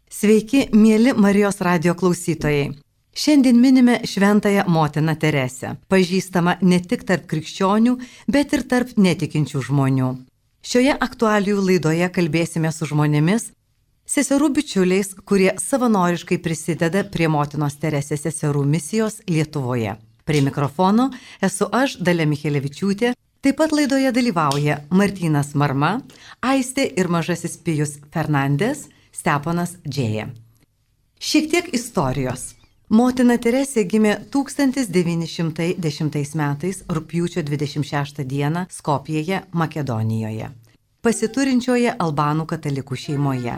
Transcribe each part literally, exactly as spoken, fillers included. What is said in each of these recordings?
Sveiki, mieli Marijos radijo klausytojai. Šiandien minime šventąją motiną Teresę, pažįstamą ne tik tarp krikščionių, bet ir tarp netikinčių žmonių. Šioje aktualijų laidoje kalbėsime su žmonėmis, seserų bičiuliais, kurie savanoriškai prisideda prie motinos Teresės seserų misijos Lietuvoje. Prie mikrofono esu aš, Dalia Michelevičiūtė, taip pat laidoje dalyvauja Martynas Marma, Aistė ir mažasis Pijus Fernandes, Steponas Džėja. Šiek tiek istorijos. Motina Teresė gimė tūkstantis devyni šimtai dešimtais metais rugpjūčio dvidešimt šeštą dieną Skopjėje, Makedonijoje, pasiturinčioje albanų katalikų šeimoje.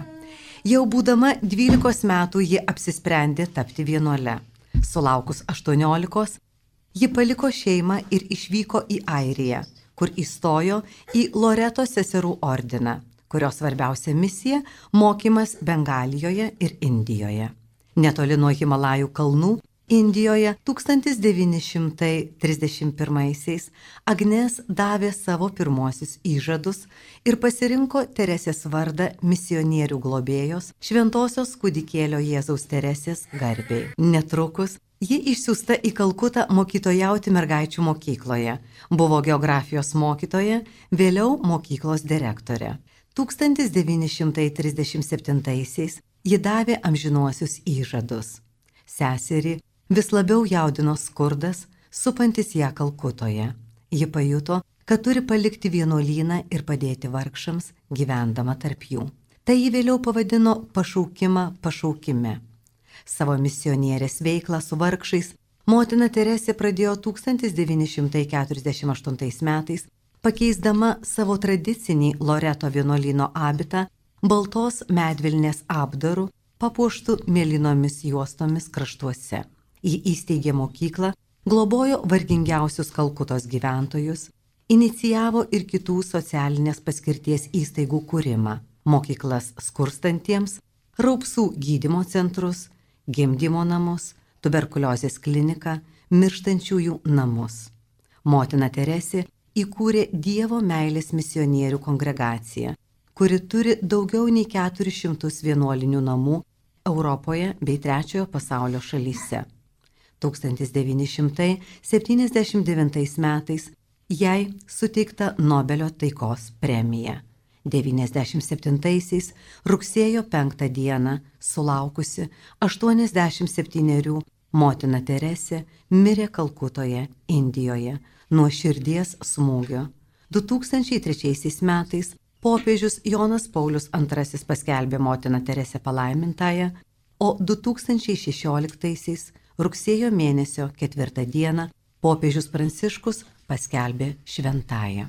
Jau būdama dvylikos metų ji apsisprendė tapti vienuole. Sulaukus aštuoniolikos, ji paliko šeimą ir išvyko į Airiją, kur įstojo į Loreto seserų ordiną, kurios svarbiausia misija – mokymas Bengalijoje ir Indijoje. Netoli nuo Himalajų kalnų, Indijoje tūkstantis devyni šimtai trisdešimt pirmaisiais Agnes davė savo pirmosius įžadus ir pasirinko Teresės vardą misionierių globėjos Šventosios kūdikėlio Jėzaus Teresės garbei. Netrukus ji išsiųsta į Kalkutą mokytojauti mergaičių mokykloje, buvo geografijos mokytoja, vėliau mokyklos direktorė. tūkstantis devyni šimtai trisdešimt septintaisiais ji davė amžinuosius įžadus. Seserį vis labiau jaudino skurdas, supantis ją Kalkutoje. Ji pajuto, kad turi palikti vienuolyną ir padėti vargšams, gyvendama tarp jų. Tai ji vėliau pavadino pašaukimą pašaukime. Savo misionierės veiklą su vargšais motina Teresė pradėjo tūkstantis devyni šimtai keturiasdešimt aštuntais metais, pakeisdama savo tradicinį Loreto vienuolyno abitą baltos medvilnės apdaru, papuoštų mėlynomis juostomis kraštuose. Ji įsteigė mokyklą, globojo vargingiausius Kalkutos gyventojus, inicijavo ir kitų socialinės paskirties įstaigų kūrimą, mokyklas skurstantiems, raupsų gydymo centrus, gimdymo namus, tuberkuliozės kliniką, mirštančiųjų namus. Motina Teresė įkūrė Dievo meilės misionierių kongregaciją, kuri turi daugiau nei keturis šimtus vienuolinių namų Europoje bei trečiojo pasaulio šalyse. tūkstantis devyni šimtai septyniasdešimt devintais metais jai suteikta Nobelio taikos premija. devyniasdešimt septintaisiais rugsėjo penktą dieną, sulaukusi aštuoniasdešimt septynerių, motina Teresė mirė Kalkutoje, Indijoje, nuo širdies smūgio. du tūkstančiai trečiaisiais metais popiežius Jonas Paulius antrasis paskelbė motiną Teresę palaimintąją, o du tūkstančiai šešioliktaisiais rugsėjo mėnesio ketvirtą dieną popiežius Pranciškus paskelbė šventąją.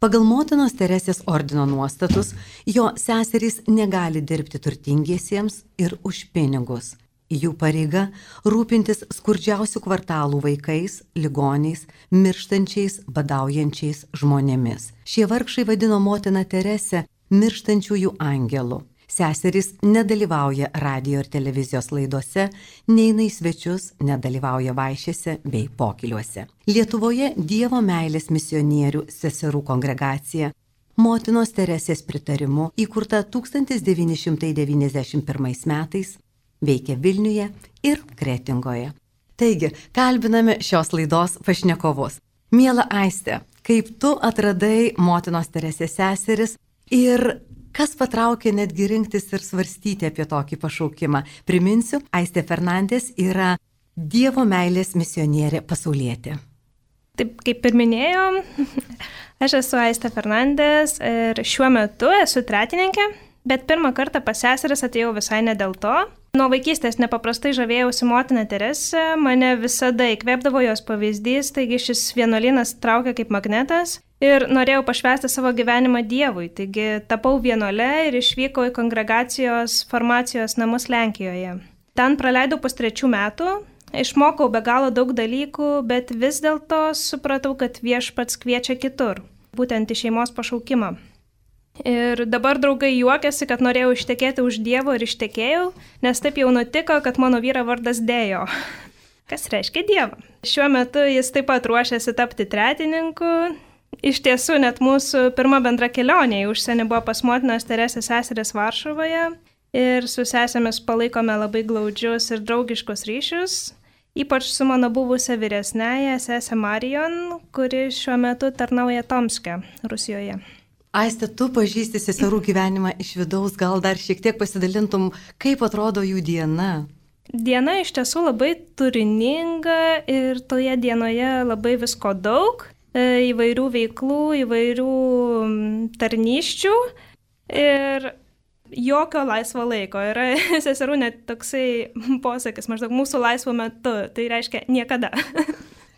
Pagal motinos Teresės ordino nuostatus, jo seserys negali dirbti turtingiesiems ir už pinigus. Jų pareiga rūpintis skurdžiausių kvartalų vaikais, ligoniais, mirštančiais, badaujančiais žmonėmis. Šie vargšai vadino motiną Teresę mirštančiųjų angelų. Seserys nedalyvauja radijo ir televizijos laidose, neina į svečius, nedalyvauja vaišėse bei pokyliuose. Lietuvoje Dievo meilės misionierių seserų kongregacija motinos Teresės pritarimu įkurta tūkstantis devyni šimtai devyniasdešimt pirmais metais, veikia Vilniuje ir Kretingoje. Taigi, kalbiname šios laidos pašnekovus. Miela Aistė, kaip tu atradai motinos Teresės seseris ir kas patraukė netgi rinktis ir svarstyti apie tokį pašaukimą? Priminsiu, Aistė Fernandes yra Dievo meilės misionierė pasaulietė. Taip, kaip ir minėjom, aš esu Aistė Fernandes ir šiuo metu esu tretininkė, bet pirmą kartą pas seseris atėjau visai ne dėl to. Nuo vaikystės nepaprastai žavėjausi motiną Teresę, mane visada įkvėpdavo jos pavyzdys, taigi šis vienuolynas traukia kaip magnetas ir norėjau pašvęsti savo gyvenimą Dievui, taigi tapau vienuole ir išvykau į kongregacijos formacijos namus Lenkijoje. Ten praleidau pustrečių metų, išmokau be galo daug dalykų, bet vis dėlto supratau, kad Viešpats kviečia kitur, būtent į šeimos pašaukimą. Ir dabar draugai juokiasi, kad norėjau ištekėti už Dievo ir ištekėjau, nes taip jau nutiko, kad mano vyro vardas Dėjo, kas reiškia Dievą. Šiuo metu jis taip pat ruošiasi tapti tretininku. Iš tiesų, net mūsų pirma bendra kelionė į užsienį buvo pas motinos Teresės seseris Varšuvoje. ir su sesėmis palaikome labai glaudžius ir draugiškus ryšius, ypač su mano buvusia vyresnėje sesė Marijon, kuri šiuo metu tarnauja Tomske, Rusijoje. Aiste, tu pažįsti seserų gyvenimą iš vidaus, gal dar šiek tiek pasidalintum, kaip atrodo jų diena? Diena iš tiesų labai turininga ir toje dienoje labai visko daug, įvairių veiklų, įvairių tarnyščių ir jokio laisvo laiko. Yra seserų net toksai posakis, maždaug mūsų laisvo metu, tai reiškia niekada.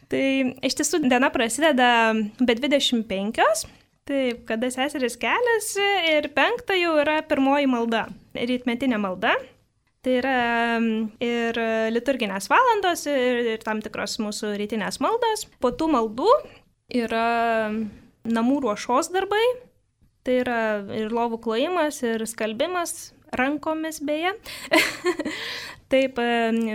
Tai iš tiesų diena prasideda be dvidešimt penkios. Taip, kada seseris keliasi ir penktą jau yra pirmoji malda, rytmetinė malda. Tai yra ir liturginės valandos, ir, ir tam tikros mūsų rytinės maldos. Po tų maldų yra namų ruošos darbai, tai yra ir lovų klojimas, ir skalbimas rankomis beje. Taip,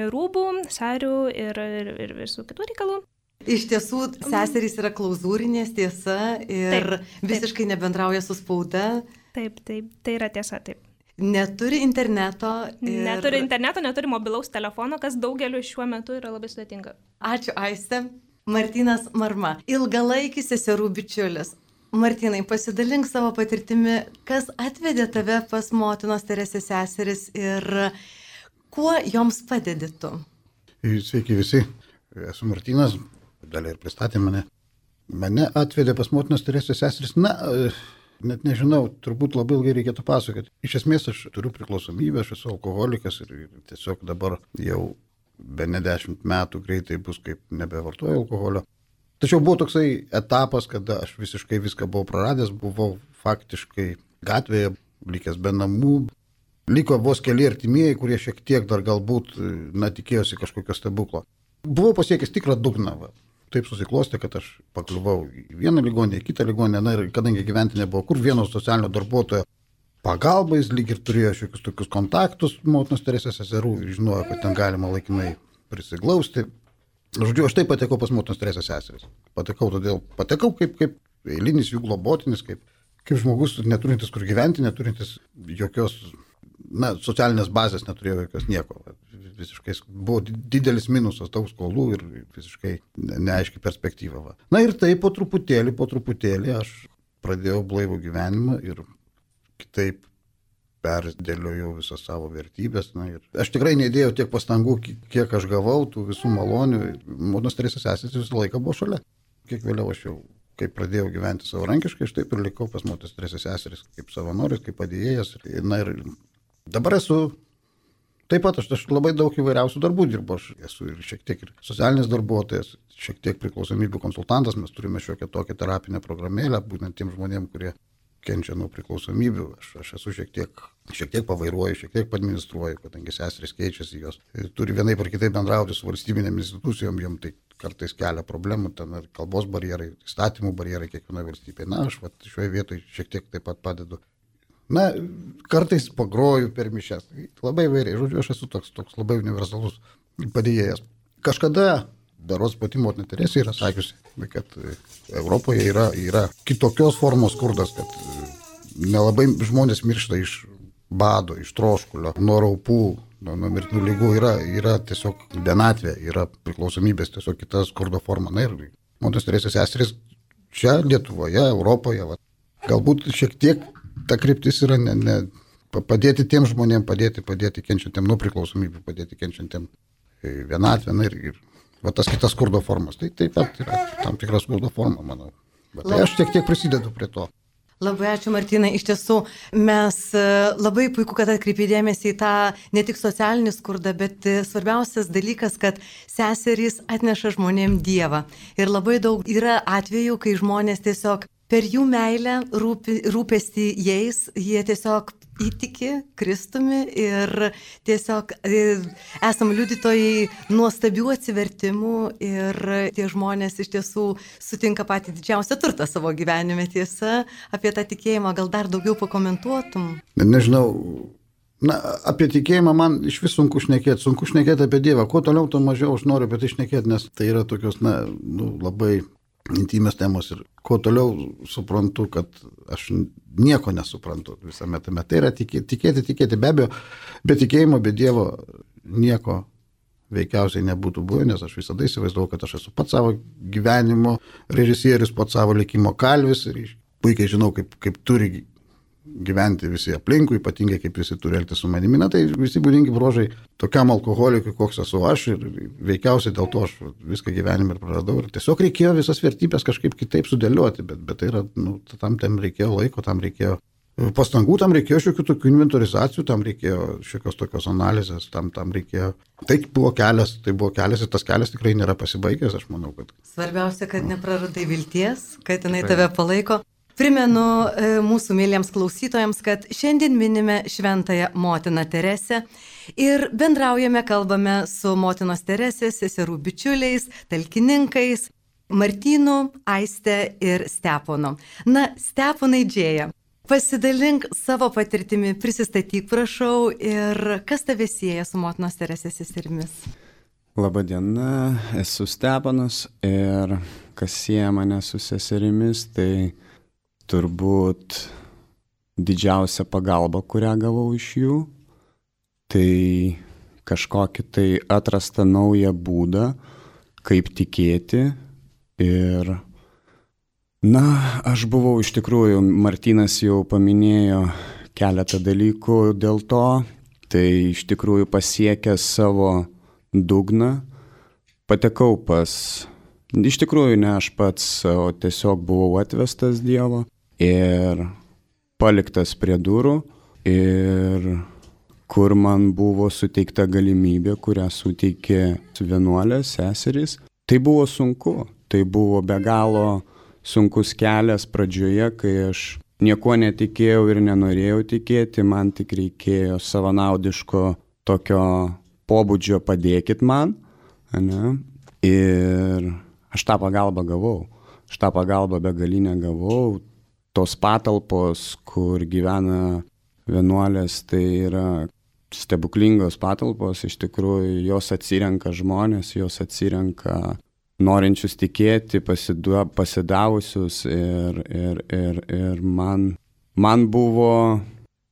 rūbų, sarių ir, ir, ir visų kitų reikalų. Iš tiesų, seserys yra klauzūrinės, tiesa, ir taip, visiškai taip. Nebendrauja su spauda. Taip, taip, tai yra tiesa, taip. Neturi interneto. Ir... Neturi interneto, neturi mobilaus telefono, kas daugeliu šiuo metu yra labai sudėtinga. Ačiū, Aiste. Martynas Marma, ilgalaikis seserų bičiulis. Martynai, pasidalink savo patirtimi, kas atvedė tave pas motinos Teresės seseris ir kuo joms padedi tu? Sveiki visi, esu Martynas. Dalį ir pristatė mane. Mane atvedė pas motinos Teresės seseris. Na, net nežinau, turbūt labai ilgai reikėtų pasakoti. Iš esmės aš turiu priklausomybę, aš esu alkoholikas ir tiesiog dabar jau be ne dešimt metų greitai bus, kaip nebevartoju alkoholio. Tačiau buvo toksai etapas, kada aš visiškai viską buvau praradęs, buvau faktiškai gatvėje, likęs be namų. Liko vos keli artimieji, kurie šiek tiek dar galbūt, na, tikėjosi kažkokio stebuklo. Buvau pasiekęs tikrą dugną. Va. Taip susiklostė, kad aš pakliuvau į vieną ligonę, į kitą ligonę, na ir kadangi gyventi nebuvo, kur vieno socialinio darbuotojo pagalbais, lyg ir turėjo šiokius tokius kontaktus motinos Teresės seserų ir žinojo, kad ten galima laikinai prisiglausti. Žodžiu, aš taip patekau pas motinos Teresės seseris. Patekau todėl, patekau kaip, kaip eilinis jų globotinis, kaip, kaip žmogus neturintis kur gyventi, neturintis jokios, na, socialinės bazės, neturėjo jokios nieko. Visiškai buvo didelis minusas, daug skolų ir visiškai neaiški perspektyva. Va. Na ir taip po truputėlį, po truputėlį aš pradėjau blaivų gyvenimą ir kitaip perdėliojau visas savo vertybės. Na, ir aš tikrai neįdėjau tiek pastangų, kiek aš gavau, tų visų malonių. Motinos Teresės seserys visą laiką buvo šalia. Kiek vėliau aš jau, kai pradėjau gyventi savarankiškai, aš taip ir likau pas motinos Teresės seserys kaip savanoris, kaip padėjėjas. Na ir dabar esu. Taip pat aš, aš labai daug įvairiausių darbų dirbu, aš esu ir šiek tiek ir socialinis darbuotojas, šiek tiek priklausomybių konsultantas, mes turime šiokią tokią terapinę programėlę, būtent tiem žmonėm, kurie kenčia nuo priklausomybių, aš, aš esu šiek tiek, šiek tiek pavairuoju, šiek tiek administruoju, kadangi seserys keičiasi, jos turi vienaip ar kitaip bendrauti su valstybinėm institucijom, jom tai kartais kelia problemų, ten ir kalbos barjerai, įstatymų barjerai kiekvienoje valstybėje. Na, aš vat, šioje vietoje šiek tiek taip pat padedu. Na, kartais pagroju per mišias. Labai vairiai. Žodžiu, aš esu toks, toks labai universalus padėjėjas. Kažkada berods pati motina Teresė yra sakiusi, kad Europoje yra, yra kitokios formos skurdas, kad nelabai žmonės miršta iš bado, iš troškulio, nuo raupų, nuo, nuo mirtinų lygų. Yra, yra tiesiog vienatvė, yra priklausomybės, tiesiog kita skurdo forma. Na ir motinos Teresės seserys čia Lietuvoje, Europoje, va, galbūt šiek tiek ta kryptis yra ne, ne, padėti tiem žmonėm, padėti, padėti kenčiantiem nuo priklausomybių, padėti kenčiantiem vienatvę, na ir, ir va, tas kitas skurdo formas. Tai taip pat yra tam tikra skurdo forma, manau. Bet tai aš tiek tiek prisidedu prie to. Labai ačiū, Martynai. Iš tiesų, mes labai puiku, kad atkreipė dėmesį į tą ne tik socialinį skurdą, bet svarbiausias dalykas, kad seserys atneša žmonėm Dievą. Ir labai daug yra atvejų, kai žmonės tiesiog per jų meilę, rūpi, rūpestį jais, jie tiesiog įtiki Kristumi ir tiesiog esam liudytojai nuostabių atsivertimų ir tie žmonės iš tiesų sutinka patį didžiausią turtą savo gyvenime. Tiesa, apie tą tikėjimą gal dar daugiau pakomentuotum? Nežinau, na, apie tikėjimą man iš vis sunku šnekėti, sunku šnekėti apie Dievą. Kuo toliau, to mažiau aš noriu apie tai šnekėti, nes tai yra tokios, na, nu, labai intymios temos ir kuo toliau suprantu, kad aš nieko nesuprantu visame tame. Tai yra tikėti, tikėti, tikėti be abejo, be tikėjimo, be Dievo nieko veikiausiai nebūtų buvę, nes aš visada įsivaizdavau, kad aš esu pats savo gyvenimo režisierius, pats savo likimo kalvis ir puikiai žinau, kaip, kaip turi gyventi visi aplinkui, ypatingai kaip visi turi elgtis su manimi. Na, tai visi būdingi bruožai tokiam alkoholikui, koks esu aš ir veikiausiai dėl to aš viską gyvenime ir praradau. Ir tiesiog reikėjo visas vertybės kažkaip kitaip sudėlioti, bet, bet tai yra, nu, tam tam reikėjo laiko, tam reikėjo pastangų, tam reikėjo šiokių tokių inventorizacijų, tam reikėjo šiokios tokios analizės, tam, tam reikėjo. Tai buvo kelias, tai buvo kelias ir tas kelias tikrai nėra pasibaigęs, aš manau, kad. Svarbiausia, kad nepraradai vilties, kad jinai tave palaiko. Primenu e, mūsų mėlyjams klausytojams, kad šiandien minime Šventąją Motiną Teresę ir bendraujame, kalbame su Motinos Teresės seserų bičiuliais, talkininkais, Martynu, Aiste ir Steponu. Na, Steponai Džėja, pasidalink savo patirtimi, prisistatyk, prašau, ir kas tave sieja su Motinos Teresės seserimis? Labadiena, esu Steponas ir kas sieja mane su seserimis, tai turbūt didžiausia pagalba, kurią gavau iš jų, tai kažkokį tai atrastą naują būdą, kaip tikėti. Ir, na, aš buvau iš tikrųjų, Martynas jau paminėjo keletą dalykų dėl to, tai iš tikrųjų pasiekęs savo dugną, patekau pas, iš tikrųjų ne aš pats, o tiesiog buvau atvestas Dievo. Ir paliktas prie durų, ir kur man buvo suteikta galimybė, kurią suteikė vienuolės, seserys. Tai buvo sunku, tai buvo be galo sunkus kelias pradžioje, kai aš nieko netikėjau ir nenorėjau tikėti, man tik reikėjo savanaudiško tokio pobūdžio padėkit man, ne? Ir aš tą pagalbą gavau, aš tą pagalbą begalinę gavau. Tos patalpos, kur gyvena vienuolės, tai yra stebuklingos patalpos, iš tikrųjų jos atsirenka žmonės, jos atsirenka norinčius tikėti, pasidu, pasidavusius ir, ir, ir, ir man, man buvo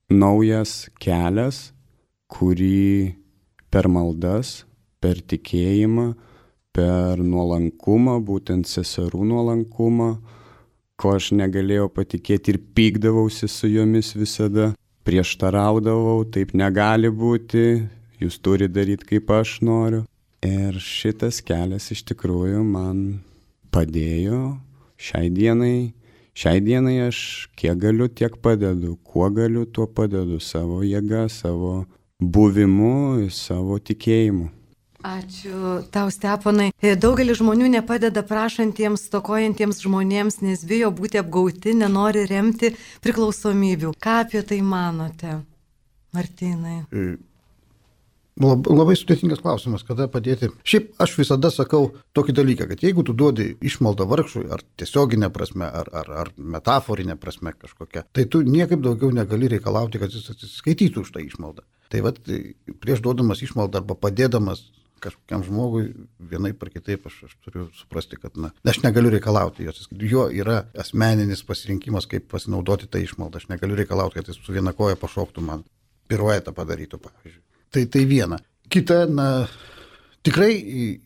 naujas kelias, kurį per maldas, per tikėjimą, per nuolankumą, būtent seserų nuolankumą, ko aš negalėjau patikėti ir pykdavausi su jomis visada, prieštaraudavau, taip negali būti, jūs turi daryti kaip aš noriu. Ir šitas kelias iš tikrųjų man padėjo šiai dienai, šiai dienai aš kiek galiu, tiek padedu, kuo galiu, tuo padedu, savo jėga, savo buvimu, savo tikėjimu. Ačiū tau, Steponai. Daugelis žmonių nepadeda prašantiems, stokojantiems žmonėms, nes bijo būti apgauti, nenori remti priklausomybių. Ką apie tai manote, Martynai? Lab, labai sudėtingas klausimas, kada padėti. Šiaip aš visada sakau tokį dalyką, kad jeigu tu duodi išmaldą vargšui, ar tiesioginė prasme, ar, ar, ar metaforinė prasme kažkokia, tai tu niekaip daugiau negali reikalauti, kad jis atsiskaitytų už tą išmaldą. Tai vat prieš duodamas išmaldą arba padėdamas kažkokiam žmogui, vienaip ar kitaip aš, aš turiu suprasti, kad na, aš negaliu reikalauti jos. Jo yra asmeninis pasirinkimas, kaip pasinaudoti tą išmaldą. Aš negaliu reikalauti, kad jis su viena koja pašoktų man, piruetą padarytų, pavyzdžiui. Tai tai viena. Kita, na, tikrai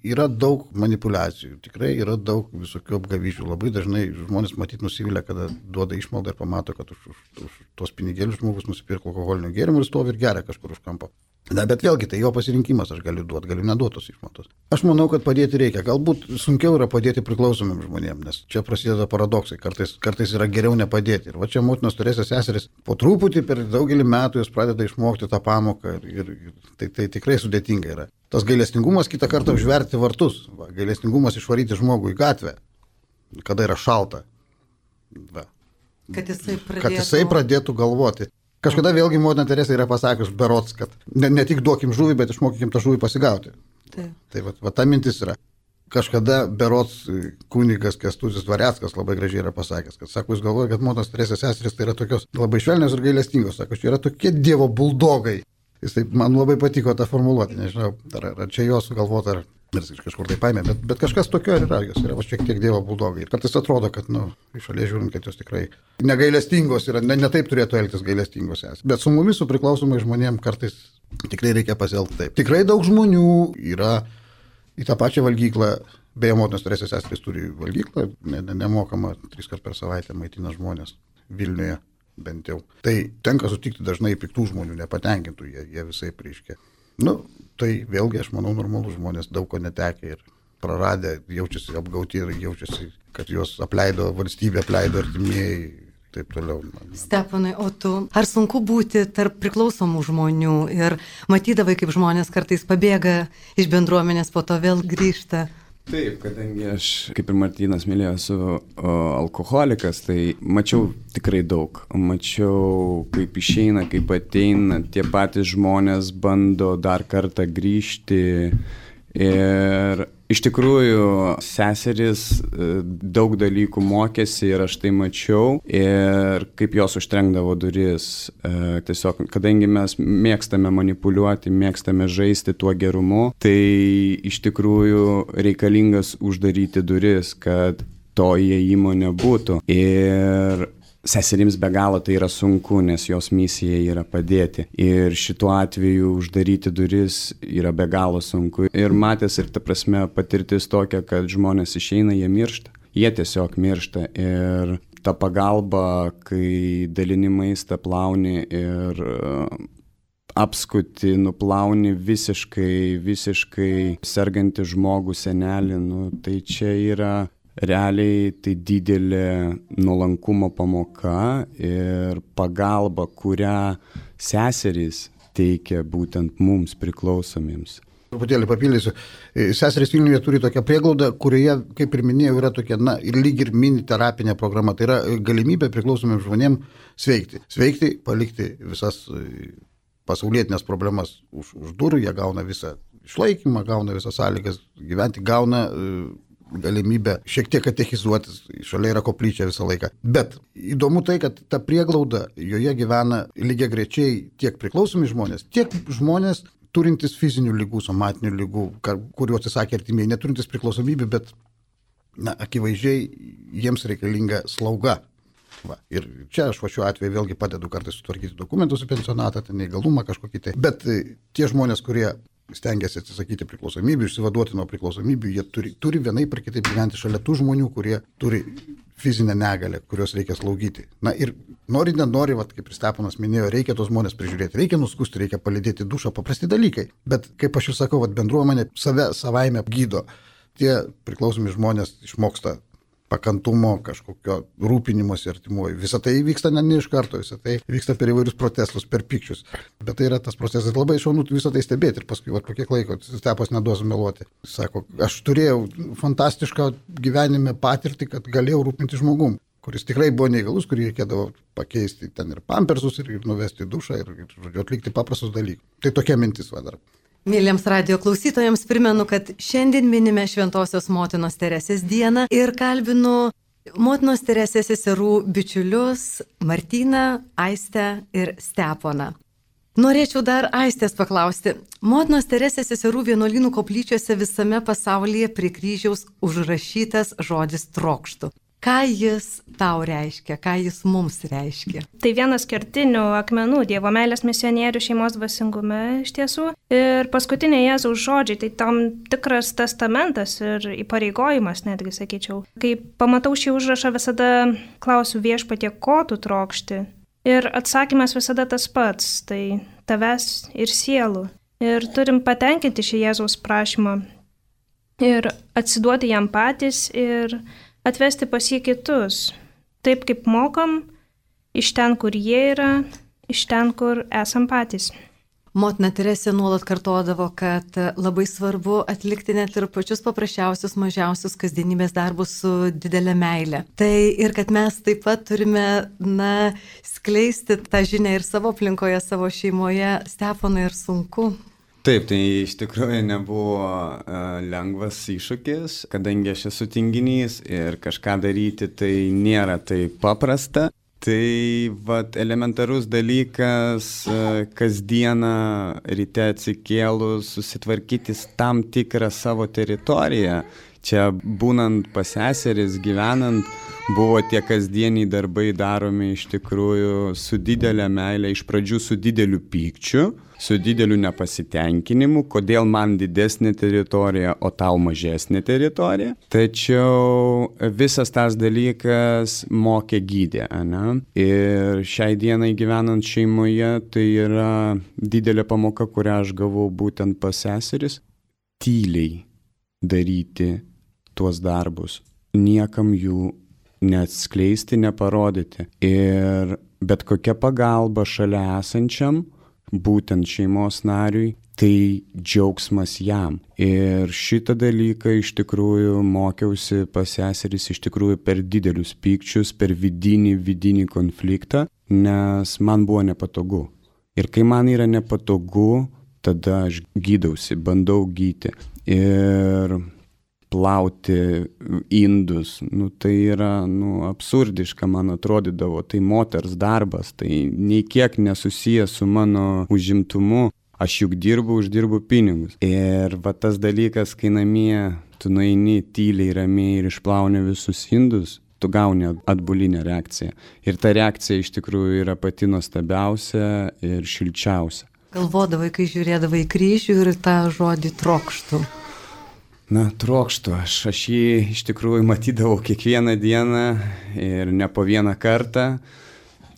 yra daug manipulacijų, tikrai yra daug visokių apgavyžių. Labai dažnai žmonės matyt nusivylę, kada duoda išmaldą ir pamato, kad už, už, už tos pinigėlius žmogus nusipirko alkoholinių gėrimų ir stovi ir geria kažkur už kampo. Na, bet vėlgi, tai jo pasirinkimas, aš galiu duoti, galiu neduotos išmaldos. Aš manau, kad padėti reikia. Galbūt sunkiau yra padėti priklausomiem žmonėms, nes čia prasideda paradoksai. Kartais, kartais yra geriau nepadėti. Ir va čia Motinos Teresės seserys po truputį per daugelį metų jos pradeda išmokti tą pamoką ir, ir, ir tai, tai tikrai sudėtinga yra. Tas gailestingumas kitą kartą užverti vartus. Va, gailestingumas išvaryti žmogų į gatvę, kada yra šalta. Va. Kad jisai pradėtų, kad jisai pradėtų galvoti. Kažkada vėlgi Motina Teresė yra pasakius berods, kad ne, ne tik duokim žuvį, bet išmokykim tą žuvį pasigauti. Taip. Tai va, va ta mintis yra. Kažkada berods kunigas Kęstutis Dvareckas labai gražiai yra pasakęs, kad sako, jūs galvoja, kad Motinos Teresės seserys tai yra tokios labai švelnios ir gailestingos, sako, čia yra tokie Dievo buldogai. Jis taip, man labai patiko tą formuluoti, nežinau, ar, ar čia jo sugalvota, ar, Ir kažkur tai paėmė, bet, bet kažkas tokio yra, jos yra va, šiek tiek dievo buldogai. Ir kartais atrodo, kad, nu, iš šalies žiūrint, kad jos tikrai negailestingos yra, ne, ne taip turėtų elgtis gailestingos esą. Bet su mumis, su priklausomai žmonėm, kartais tikrai reikia pasielgti taip. Tikrai daug žmonių yra į tą pačią valgyklą, beje, motinos Teresės seserys turi valgyklą, ne, ne, nemokama, tris kart per savaitę maitina žmonės Vilniuje, bent jau. Tai tenka sutikti dažnai piktų žmonių, nepatenkintų, jie, jie visai prieškia. Nu, tai vėlgi, aš manau, normalų žmonės daug ko netekia ir praradę, jaučiasi apgauti ir jaučiasi, kad juos apleido valstybė, apleido artimieji, taip toliau. Steponai, o tu, ar sunku būti tarp priklausomų žmonių ir matydavai, kaip žmonės kartais pabėga iš bendruomenės, po to vėl grįžta? Taip, kadangi aš, kaip ir Martynas minėjo, esu alkoholikas, tai mačiau tikrai daug. Mačiau, kaip išeina, kaip ateina, tie patys žmonės bando dar kartą grįžti. Ir iš tikrųjų seserys daug dalykų mokėsi ir aš tai mačiau ir kaip jos užtrenkdavo duris. Tiesiog, kadangi mes mėgstame manipuliuoti, mėgstame žaisti tuo gerumu, tai iš tikrųjų reikalingas uždaryti duris, kad to įėjimo nebūtų. Ir seserims be galo tai yra sunku, nes jos misija yra padėti. Ir šituo atveju uždaryti duris yra be galo sunku. Ir matęs ir ta prasme patirtis tokia, kad žmonės išeina, jie miršta. Jie tiesiog miršta. Ir ta pagalba, kai dalini maistą, plauni ir apskuti, nuplauni visiškai, visiškai sergantį žmogų, senelį, nu, tai čia yra realiai tai didelė nuolankumo pamoka ir pagalba, kurią seserys teikia būtent mums priklausomiems. Truputėlį papildysiu. Seserys Vilniuje turi tokią prieglaudą, kurioje, kaip ir minėjau, yra tokia, na, ir lyg ir mini terapinė programa. Tai yra galimybė priklausomiems žmonėms sveikti. Sveikti, palikti visas pasaulietinės problemas už, už durų, jie gauna visą išlaikymą, gauna visas sąlygas gyventi, gauna galimybę šiek tiek katechizuotis, šalia yra koplyčia visą laiką. Bet įdomu tai, kad ta prieglauda, joje gyvena lygiagrečiai tiek priklausomi žmonės, tiek žmonės turintys fizinių lygų, somatinių lygų, kuriuos atsisakė artimieji, neturintys priklausomybių, bet na, akivaizdžiai jiems reikalinga slauga. Va. Ir čia aš va šiuo atveju vėlgi padedu kartais sutvarkyti dokumentus į pensionatą, ten neįgalumą kažkokį tai. Bet tie žmonės, kurie stengiasi atsisakyti priklausomybių, išsivaduoti nuo priklausomybių, jie turi, turi vienaip ar kitaip gyventi šalia tų žmonių, kurie turi fizinę negalę, kurios reikia slaugyti. Na ir nori, nenori, vat, kaip ir Steponas minėjo, reikia tos žmonės prižiūrėti, reikia nuskusti, reikia palydėti dušą, paprasti dalykai. Bet kaip aš jau sakau, vat, bendruomenė save savaime gydo. Tie priklausomi žmonės išmoksta pakantumo, kažkokio rūpinimosi artimuoju. Visą tai vyksta ne, ne iš karto, visą tai vyksta per įvairius protestus, per pykčius. Bet tai yra tas procesas labai šaunu visą tai stebėti ir paskui, va, po kiek laiko, Stepas neduos meluoti. Sako, aš turėjau fantastišką gyvenime patirtį, kad galėjau rūpinti žmogum, kuris tikrai buvo neįgalus, kurį reikėdavo pakeisti ten ir pampersus, ir, ir nuvesti dušą, ir, ir, ir atlikti paprastus dalykus. Tai tokia mintis va dar. Mėlyms radio klausytojams primenu, kad šiandien minime Šventosios motinos Teresės dieną ir kalbinu motinos Teresės seserų bičiulius Martyną, Aistę ir Steponą. Norėčiau dar Aistės paklausti. Motinos Teresės seserų vienuolynų koplyčiose visame pasaulyje prie kryžiaus užrašytas žodis trokštu. Ką jis tau reiškia, ką jis mums reiškia? Tai vienas kertinių akmenų Dievo meilės misionierių šeimos dvasingume iš tiesų. Ir paskutiniai Jėzaus žodžiai, tai tam tikras testamentas ir įpareigojimas, netgi sakyčiau. Kai pamatau šį užrašą, visada klausiu Viešpatie, ko tu trokšti. Ir atsakymas visada tas pats, tai tavęs ir sielų. Ir turim patenkinti šį Jėzaus prašymą ir atsiduoti jam patys ir atvesti pas jį kitus, taip kaip mokam, iš ten, kur jie yra, iš ten, kur esam patys. Motina Teresė nuolat kartodavo, kad labai svarbu atlikti net ir pačius paprasčiausius, mažiausius kasdienybės darbus su didelė meilė. Tai ir kad mes taip pat turime, na, skleisti tą žinią ir savo aplinkoje, savo šeimoje. Steponai, ir sunku. Taip, tai iš tikrųjų nebuvo uh, lengvas iššūkis, kadangi aš esu tinginys ir kažką daryti tai nėra taip paprasta. Tai vat, elementarus dalykas, kasdieną ryte atsikėlus, susitvarkyti tam tikrą savo teritoriją. Čia būnant pas seseris, gyvenant, buvo tie kasdieniai darbai daromi iš tikrųjų su didelė meilė, iš pradžių su dideliu pykčiu, su dideliu nepasitenkinimu, kodėl man didesnė teritorija, o tau mažesnė teritorija. Tačiau visas tas dalykas mokė gydė, ane? Ir šiai dienai gyvenant šeimoje, tai yra didelė pamoka, kurią aš gavau būtent pas seseris, tyliai daryti tuos darbus, niekam jų neatskleisti, neparodyti. Ir bet kokia pagalba šalia esančiam, būtent šeimos nariui, tai džiaugsmas jam. Ir šitą dalyką iš tikrųjų mokiausi pas seseris iš tikrųjų per didelius pykčius, per vidinį, vidinį konfliktą, nes man buvo nepatogu. Ir kai man yra nepatogu, tada aš gydausi, bandau gyti. Ir plauti indus, nu, tai yra nu, absurdiška, man atrodydavo, tai moters darbas, tai nei kiek nesusijęs su mano užimtumu, aš juk dirbu, uždirbu pinigus. Ir va tas dalykas, kai namie tu nueini tyliai, ramiai ir išplauni visus indus, tu gauni atbulinę reakciją. Ir ta reakcija iš tikrųjų yra pati nuostabiausia ir šilčiausia. Galvodavai, kai žiūrėdavai į kryžių ir tą žodį trokštų. Na, trokštų. Aš, aš jį iš tikrųjų matydavau kiekvieną dieną ir ne po vieną kartą.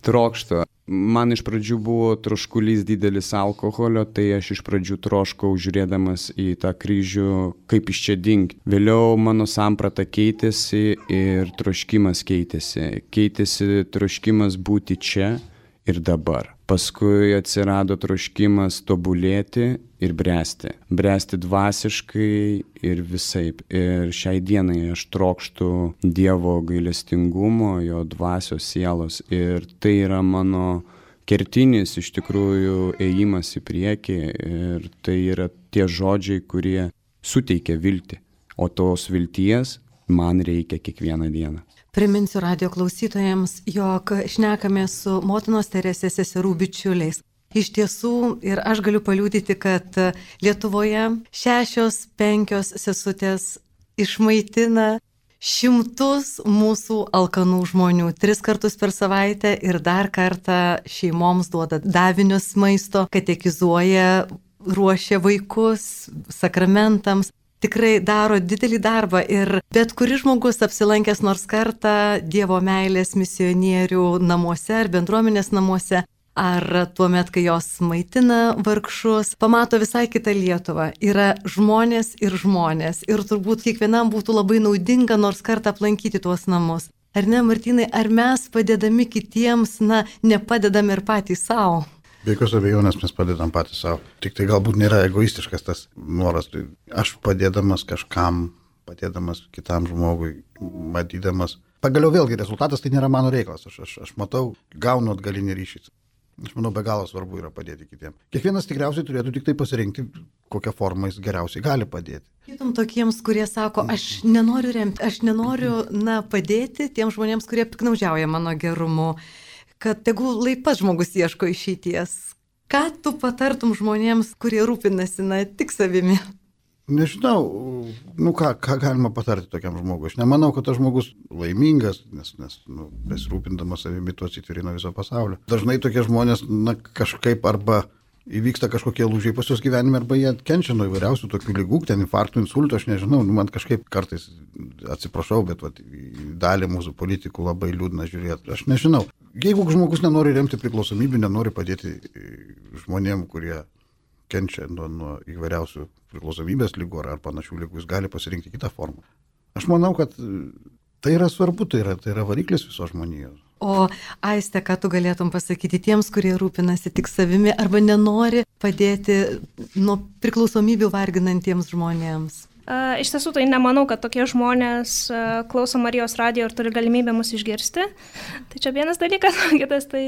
Trokštų. Man iš pradžių buvo troškulys didelis alkoholio, tai aš iš pradžių troškau žiūrėdamas į tą kryžių, kaip iš čia dingti. Vėliau mano samprata keitėsi ir troškimas keitėsi. Keitėsi troškimas būti čia ir dabar. Paskui atsirado troškimas tobulėti ir bręsti. Bręsti dvasiškai ir visaip. Ir šiai dienai aš trokštu Dievo gailestingumo, jo dvasios sielos. Ir tai yra mano kertinis iš tikrųjų ėjimas į priekį. Ir tai yra tie žodžiai, kurie suteikia viltį. O tos vilties man reikia kiekvieną dieną. Priminsiu radio klausytojams, jog šnekame su motinos Teresės seserų bičiuliais. Iš tiesų, ir aš galiu paliudyti, kad Lietuvoje šešios, penkios sesutės išmaitina šimtus mūsų alkanų žmonių. Tris kartus per savaitę ir dar kartą šeimoms duoda davinius maisto, katekizuoja, ruošia vaikus sakramentams. Tikrai daro didelį darbą ir bet kuris žmogus apsilankęs nors kartą Dievo meilės misionierių namuose ar bendruomenės namuose, ar tuo met, kai jos maitina vargšus, pamato visai kitą Lietuvą. Yra žmonės ir žmonės ir turbūt kiekvienam būtų labai naudinga nors kartą aplankyti tuos namus. Ar ne, Martynai, ar mes padėdami kitiems, na, nepadedame ir patys savo? Be jokios abejonės mes padedam patys savo. Tik tai galbūt nėra egoistiškas tas noras. Tai aš padėdamas kažkam, padėdamas kitam žmogui, matydamas. Pagaliau vėlgi rezultatas tai nėra mano reikalas. Aš, aš, aš matau, gaunu atgalinį ryšį. Aš manau, be galo svarbu yra padėti kitiems. Kiekvienas tikriausiai turėtų tik tai pasirinkti, kokią formą jis geriausiai gali padėti. Kitom tokiems, kurie sako, aš nenoriu remti, aš nenoriu, na, padėti tiems žmonėms, kurie piknaudžiauja mano gerumu. Kad tegul laipas žmogus ieško išeities. Ką tu patartum žmonėms, kurie rūpinasi, na, tik savimi? Nežinau, nu ką, ką galima patarti tokiam žmogui. Aš nemanau, kad tas žmogus laimingas, nes, nes nu, besirūpindamas savimi tu atsitvirina viso pasaulio. Dažnai tokie žmonės, na, kažkaip arba įvyksta kažkokie lūžiai pas jos gyvenime, arba jie kenčia nuo įvairiausių tokių ligų, ten infarktų, insultų, aš nežinau, nu, man kažkaip kartais, atsiprašau, bet vat, dalį mūsų politikų labai liūdna žiūrėti, aš nežinau. Jeigu žmogus nenori remti priklausomybių, nenori padėti žmonėm, kurie kenčia nuo, nuo įvairiausių priklausomybės lygų ar, ar panašių lygų, jis gali pasirinkti kitą formą. Aš manau, kad tai yra svarbu, tai yra, tai yra variklis visos žmonijos. O Aiste, ką tu galėtum pasakyti tiems, kurie rūpinasi tik savimi arba nenori padėti nuo priklausomybių varginantiems žmonėms? Uh, iš tiesų, tai nemanau, kad tokie žmonės uh, klauso Marijos radijo ir turi galimybę mus išgirsti. Tai čia vienas dalykas, kitas tai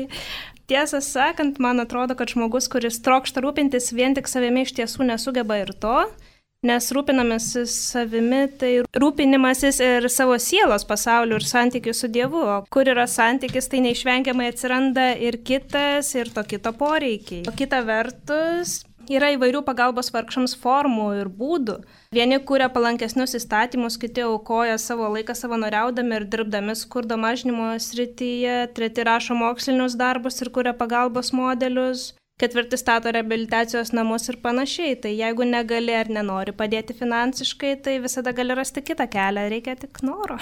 tiesą sakant, man atrodo, kad žmogus, kuris trokšta rūpintis vien tik savimi, iš tiesų nesugeba ir to, nes rūpinamasis savimi tai rūpinimasis ir savo sielos pasauliu ir santykiu su Dievu. O kur yra santykis, tai neišvengiamai atsiranda ir kitas, ir to kito poreikiai. O kita vertus, yra įvairių pagalbos vargšams formų ir būdų. Vieni kūrė palankesnius įstatymus, kiti aukoja savo laiką savanoriaudami ir dirbdami skurdo mažinimo srityje, treti rašo mokslinius darbus ir kūrė pagalbos modelius, ketvirti stato reabilitacijos namus ir panašiai. Tai jeigu negali ar nenori padėti finansiškai, tai visada gali rasti kitą kelią, reikia tik noro.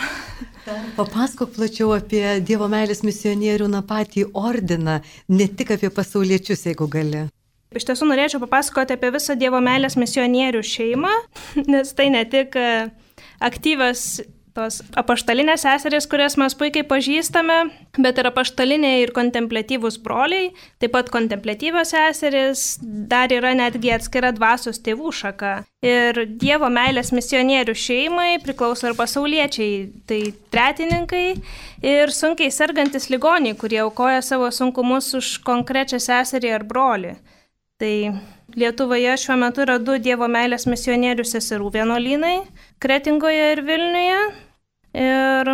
Papasakok plačiau apie Dievo meilės misionierių na patį ordiną, ne tik apie pasauliečius, jeigu gali. Iš tiesų norėčiau papasakoti apie visą Dievo meilės misionierių šeimą, nes tai ne tik aktyvios tos apaštalinės seserys, kurias mes puikiai pažįstame, bet ir apaštaliniai ir kontempliatyvūs broliai, taip pat kontempliatyvios seserys, dar yra netgi atskira dvasios tėvų šaka. Ir Dievo meilės misionierių šeimai priklauso ir pasauliečiai, tai tretininkai ir sunkiai sergantis ligoniai, kurie aukoja savo sunkumus už konkrečią seserį ar brolį. Tai Lietuvoje šiuo metu yra du Dievo meilės misionierių seserų vienuolynai – Kretingoje ir Vilniuje. Ir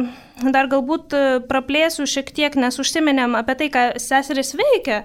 dar galbūt praplėsiu šiek tiek, nes užsiminėm apie tai, ką seserys veikia.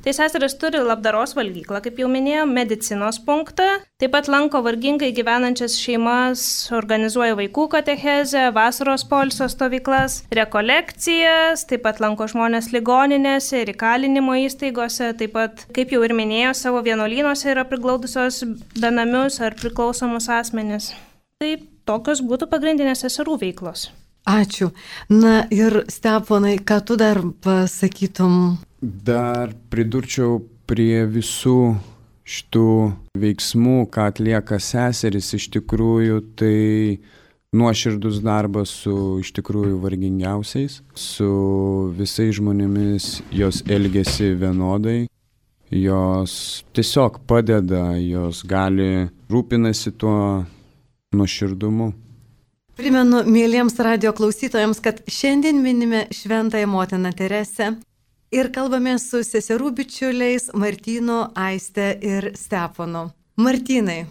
Tai seserys turi labdaros valgyklą, kaip jau minėjom, medicinos punktą. Taip pat lanko vargingai gyvenančias šeimas, organizuoja vaikų katechezę, vasaros poilsio stovyklas, rekolekcijas, taip pat lanko žmonės ligoninėse ir įkalinimo įstaigose. Taip pat, kaip jau ir minėjau, savo vienuolynuose yra priglaudusios benamius ar priklausomus asmenis. Taip. Tokios būtų pagrindinės seserų veiklos. Ačiū. Na ir Steponai, ką tu dar pasakytum? Dar pridurčiau prie visų šitų veiksmų, ką atlieka seseris, iš tikrųjų tai nuoširdus darbas su iš tikrųjų vargingiausiais, su visais žmonėmis jos elgiasi vienodai, jos tiesiog padeda, jos gali rūpinasi tuo nuoširdumu. Primenu mėlyjams radio klausytojams, kad šiandien minime Šventąją Motiną Teresę ir kalbame su seserų bičiuliais Martynu, Aiste ir Steponu. Martynai,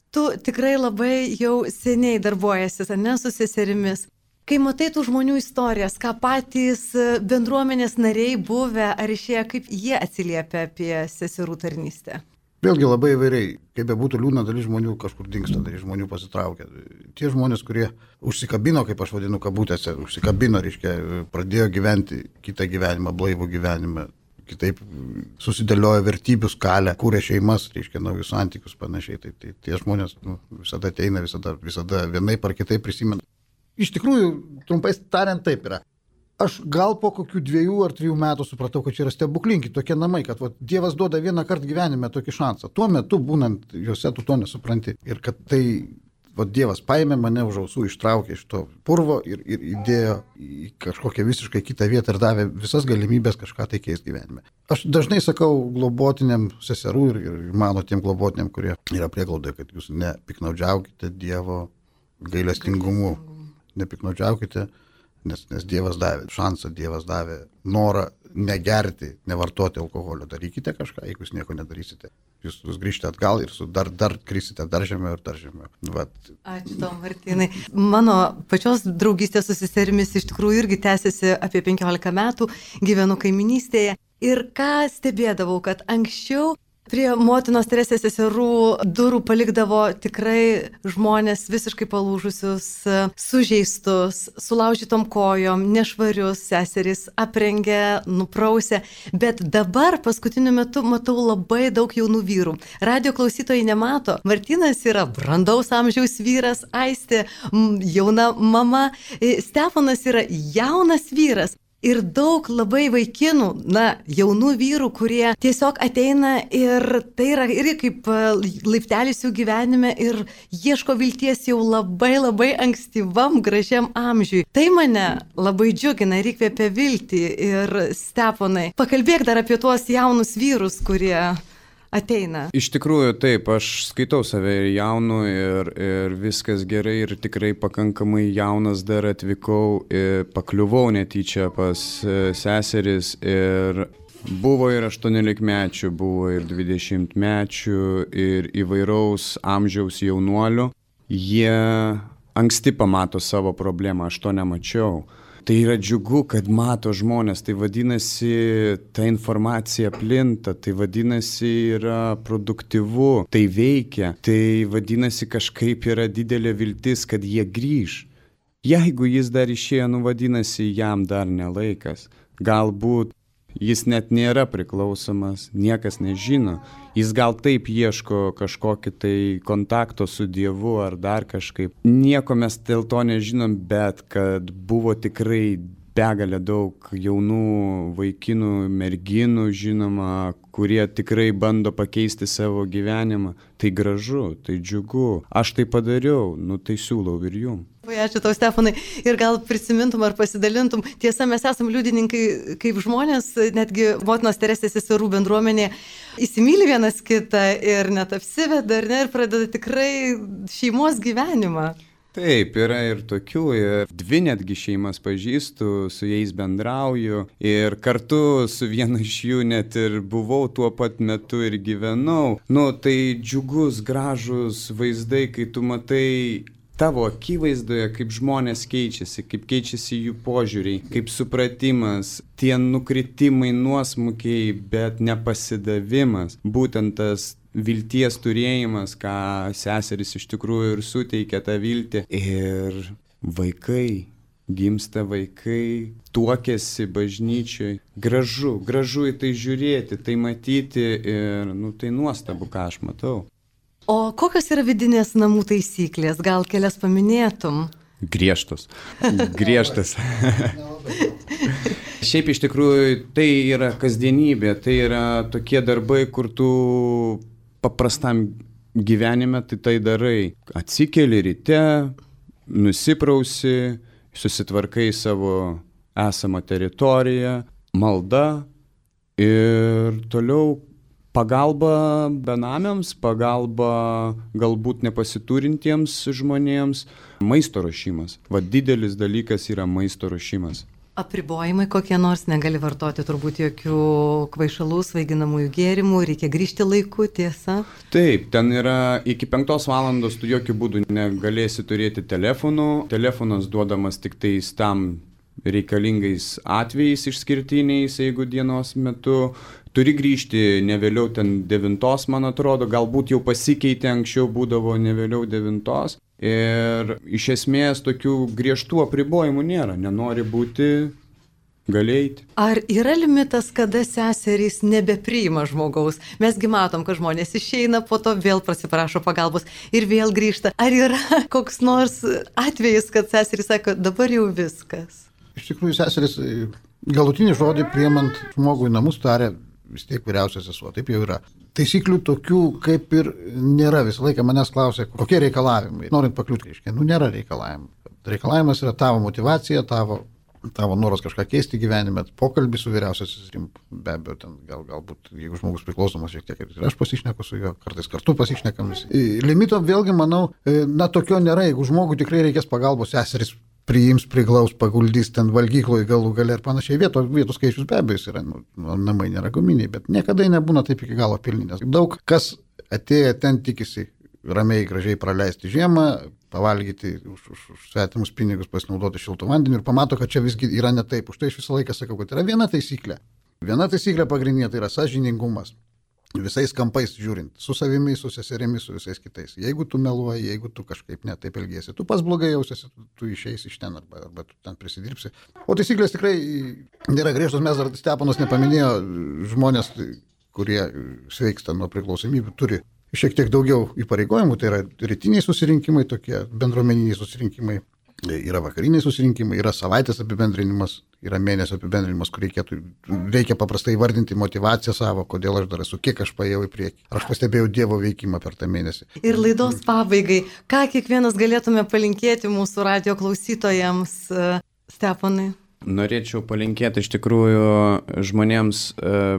tu tikrai labai jau seniai darbuojasi, ne, su seserimis. Kai matai tų žmonių istorijas, ką patys bendruomenės nariai buvę ar išėję, kaip jie atsiliepia apie seserų tarnystę? Vėlgi labai įvairiai, kaip be būtų liūdna, dalis žmonių kažkur dingsta, dalis žmonių pasitraukia. Tie žmonės, kurie užsikabino, kaip aš vadinu kabutėse, užsikabino, reiškia, pradėjo gyventi kitą gyvenimą, blaivų gyvenimą, kitaip susidėliojo vertybių skalę, kūrė šeimas, reiškia, naujus santykius panašiai. Tai, tai tie žmonės nu, visada ateina, visada, visada vienaip ar kitaip prisimena. Iš tikrųjų, trumpai tariant, taip yra. Aš gal po kokių dviejų ar trijų metų supratau, kad čia yra stebuklingi tokie namai, kad va, Dievas duoda vieną kartą gyvenime tokį šansą. Tuo metu, būnant juose, tu to nesupranti. Ir kad tai va, Dievas paėmė mane už ausų, ištraukė iš to purvo ir, ir įdėjo į kažkokią visiškai kitą vietą ir davė visas galimybės kažką tai keisti gyvenime. Aš dažnai sakau globotiniam seserų ir, ir mano tiem globotiniam, kurie yra prieglaudoje, kad jūs nepiknaudžiaukite Dievo gailestingumu. Nepiknaudžiaukite. Nes, nes Dievas davė šansą, Dievas davė norą negerti, nevartoti alkoholio. Darykite kažką, jeigu jūs nieko nedarysite. Jūs, jūs grįžtate atgal ir su dar, dar krisite dar žemiau ir dar žemiau. Vat. Ačiū tau, Martynai. Mano pačios draugystė su seserimis iš tikrųjų irgi tęsiasi apie penkiolika metų, gyvenu kaiminystėje. Ir ką stebėdavau, kad anksčiau prie Motinos Teresės seserų durų palikdavo tikrai žmonės visiškai palūžusius, sužeistus, sulaužytom kojom, nešvarius, seserys aprengė, nuprausė. Bet dabar paskutiniu metu matau labai daug jaunų vyrų. Radio klausytojai nemato. Martynas yra brandaus amžiaus vyras, Aistė jauna mama, Steponas yra jaunas vyras. Ir daug labai vaikinų, na, jaunų vyrų, kurie tiesiog ateina ir tai yra irgi kaip laiptelis jų gyvenime ir ieško vilties jau labai labai ankstyvam, gražiam amžiui. Tai mane labai džiugina ir įkvėpia viltį. Ir Steponai, pakalbėk dar apie tuos jaunus vyrus, kurie ateina. Iš tikrųjų taip, aš skaitau save ir jaunu ir, ir viskas gerai ir tikrai pakankamai jaunas dar atvykau ir pakliuvau netyčia pas seseris ir Buvo ir aštuoniolikmečių, buvo ir dvidešimtmečių, ir įvairaus amžiaus jaunuolių. Jie anksti pamato savo problemą, aš to nemačiau. Tai yra džiugu, kad mato žmonės, tai vadinasi, ta informacija plinta, tai vadinasi, yra produktyvu, tai veikia, tai vadinasi, kažkaip yra didelė viltis, kad jie grįž. Jeigu jis dar išėjo, nu vadinasi, jam dar nelaikas. Galbūt jis net nėra priklausomas, niekas nežino. Jis gal taip ieško kažkokį tai kontakto su Dievu ar dar kažkaip. Nieko mes dėl to nežinom, bet kad buvo tikrai begalė daug jaunų vaikinų, merginų, žinoma, kurie tikrai bando pakeisti savo gyvenimą. Tai gražu, tai džiugu. Aš tai padariau, nu tai siūlau ir jum. Ačiū tau, Stefanai. Ir gal prisimintum ar pasidalintum. Tiesa, mes esam liudininkai, kaip žmonės, netgi motinos Teresės seserų bendruomenė įsimyli vienas kitą ir net apsiveda, ar ne, ir pradeda tikrai šeimos gyvenimą. Taip, yra ir tokių, ir dvi netgi šeimas pažįstu, su jais bendrauju ir kartu su viena iš jų net ir buvau tuo pat metu ir gyvenau. Nu, tai džiugus, gražus vaizdai, kai tu matai tavo akivaizdoje, kaip žmonės keičiasi, kaip keičiasi jų požiūriai, kaip supratimas, tie nukritimai, nuosmukiai, bet nepasidavimas, būtent tas vilties turėjimas, ką seseris iš tikrųjų ir suteikia tą viltį. Ir vaikai, gimsta vaikai, tuokiasi bažnyčioj. Gražu, gražu į tai žiūrėti, tai matyti ir, nu, tai nuostabu, ką aš matau. O kokios yra vidinės namų taisyklės? Gal kelias paminėtum? Griežtos. Griežtas. Šiaip iš tikrųjų tai yra kasdienybė, tai yra tokie darbai, kur tu paprastam gyvenime tai tai darai. Atsikeli ryte, nusiprausi, susitvarkai savo esamą teritoriją, malda ir toliau pagalba benamiams, pagalba galbūt nepasiturintiems žmonėms, maisto ruošimas. Va didelis dalykas yra maisto ruošimas. Apribojimai kokie nors, negali vartoti turbūt jokių kvaišalų, svaiginamųjų gėrimų, reikia grįžti laiku, tiesa? Taip, ten yra iki penktos valandos tu jokių būdų negalėsi turėti telefonų. Telefonas duodamas tik tais tam reikalingais atvejais išskirtiniais, jeigu dienos metu. Turi grįžti ne vėliau ten devintos, man atrodo, galbūt jau pasikeitė, anksčiau būdavo ne vėliau devintos. Ir iš esmės tokių griežtų apribojimų nėra, nenori būti, gali eiti. Ar yra limitas, kada seserys nebepriima žmogaus? Mesgi matom, kad žmonės išeina, po to vėl prasiprašo pagalbos ir vėl grįžta. Ar yra koks nors atvejis, kad seserys sako, dabar jau viskas? Iš tikrųjų, seserys galutinį žodį priimant žmogų į namus tarė vis tiek vyriausias sesuo, taip jau yra. Taisyklių tokių kaip ir nėra. Visą laiką manęs klausia, kokie reikalavimai. Norint pakliūti, reiškia, nu nėra reikalavimų. Reikalavimas yra tavo motyvacija, tavo, tavo noras kažką keisti gyvenime, pokalbį su vyriausias seserim, be abejo, ten gal, galbūt, jeigu žmogus priklausomas šiek tiek, ir aš pasišneku su juo, kartais kartu pasišnekam visi. Limito vėlgi, manau, na tokio nėra, jeigu žmogui tikrai reikės pagalbos, seseris priims, priglaus, paguldys ten valgykloje galų gale ir panašiai. Vietos, vietos skaičius be abejo yra, nu, namai nėra guminiai, bet niekada nebūna taip iki galo pilni, nes daug kas atėję ten tikisi ramiai, gražiai praleisti žiemą, pavalgyti už, už, už svetimus pinigus, pasinaudoti šiltų vandeniu ir pamato, kad čia visgi yra ne taip. Už tai aš visą laiką sakau, kad yra viena taisyklė. Viena taisyklė pagrindinė, tai yra sąžiningumas. Visais kampais žiūrint, su savimi, su seserimis, su visais kitais. Jeigu tu meluoji, jeigu tu kažkaip ne taip elgiesi, tu pas blogai jausiesi, tu, tu išeisi iš ten arba, arba tu ten prisidirbsi. O taisyklės tikrai nėra griežtos, mes dar Stepanas nepaminėjo, žmonės, kurie sveiksta nuo priklausomybių, turi šiek tiek daugiau įpareigojimų, tai yra rytiniai susirinkimai, tokie bendruomeniniai susirinkimai. Yra vakariniai susirinkimai, yra savaitės apibendrinimas, yra mėnesio apibendrinimas, kur reikėtų, reikia paprastai vardinti motivaciją savo, kodėl aš dar esu, kiek aš paėjau į priekį. Ar aš pastebėjau Dievo veikimą per tą mėnesį. Ir laidos pabaigai, ką kiekvienas galėtume palinkėti mūsų radio klausytojams, Stepanai? Norėčiau palinkėti iš tikrųjų žmonėms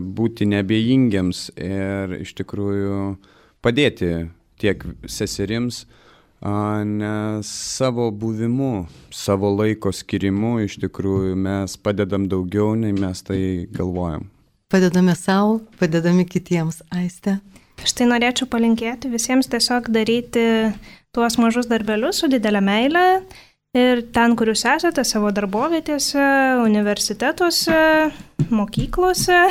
būti neabejingiams ir iš tikrųjų padėti tiek seserims, nes savo buvimu, savo laiko skirimu iš tikrųjų mes padedam daugiau, nei mes tai galvojam. padedame savo, padedame kitiems. Aiste. Štai norėčiau palinkėti visiems tiesiog daryti tuos mažus darbelius su didelė meile ir ten, kur jūs esate, savo darbovietėse, universitetuose, mokyklose,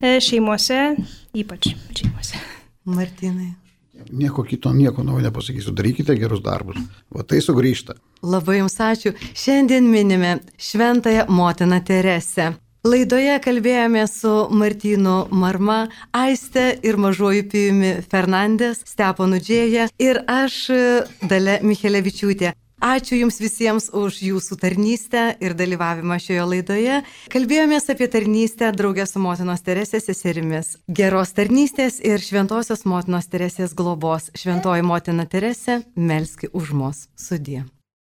šeimose, ypač šeimose. Martynai. Nieko kito, nieko naujo nepasakysiu. Darykite gerus darbus. Va tai sugrįžta. Labai jums ačiū. Šiandien minime Šventąją motiną Teresę. Laidoje kalbėjome su Martynu Marma, Aiste ir mažuoju Pijumi Fernandes, Steponu Džėja ir aš, Dalia Michelevičiūtė. Ačiū Jums visiems už Jūsų tarnystę ir dalyvavimą šioje laidoje. Kalbėjomės apie tarnystę draugę su motinos Teresės seserimis. Geros tarnystės ir šventosios motinos Teresės globos. Šventoji motina Teresė, melski už mus. Sudie.